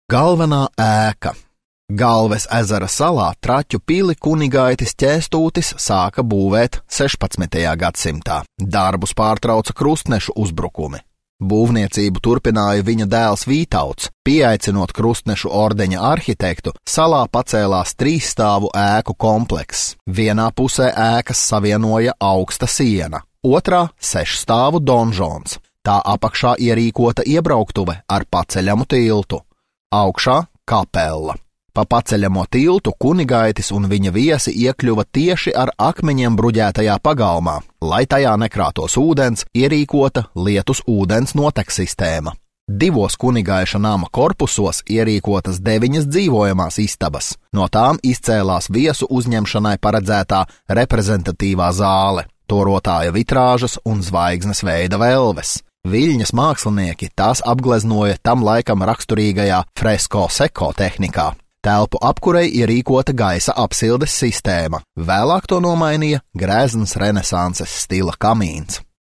Galvenā ēka. Galves ezera salā Traķu pili Kunigaitis Ķēstūtis sāka būvēt 16. gadsimtā. Darbus pārtrauca krustnešu uzbrukumi. Būvniecību turpināja viņa dēls Vītauts. Pieaicinot krustnešu ordeņa arhitektu, salā pacēlās 3-stāvu ēku komplekss. Vienā pusē ēkas savienoja augsta siena, otrā 6-stāvu donžons. Tā apakšā ierīkota iebrauktuve ar paceļamu tiltu. Augšā kapella. Pa paceļamo tiltu Kunigaitis un viņa viesi iekļuva tieši ar akmeņiem bruģētajā pagalmā. Lai tajā nekrātos ūdens, ierīkota lietus ūdens noteksistēma. 2 Kunigaiša nama korpusos ierīkotas 9 dzīvojamās istabas. No tām izcēlās viesu uzņemšanai paredzētā reprezentatīvā zāle, torotāja vitrāžas un zvaigznes veida velves. Viļņas mākslinieki tās apgleznoja tam laikam raksturīgajā fresko seko tehnikā. Telpu apkurei ierīkota gaisa apsildes sistēma, vēlāk to nomainīja grezns renesanses stila kamīns.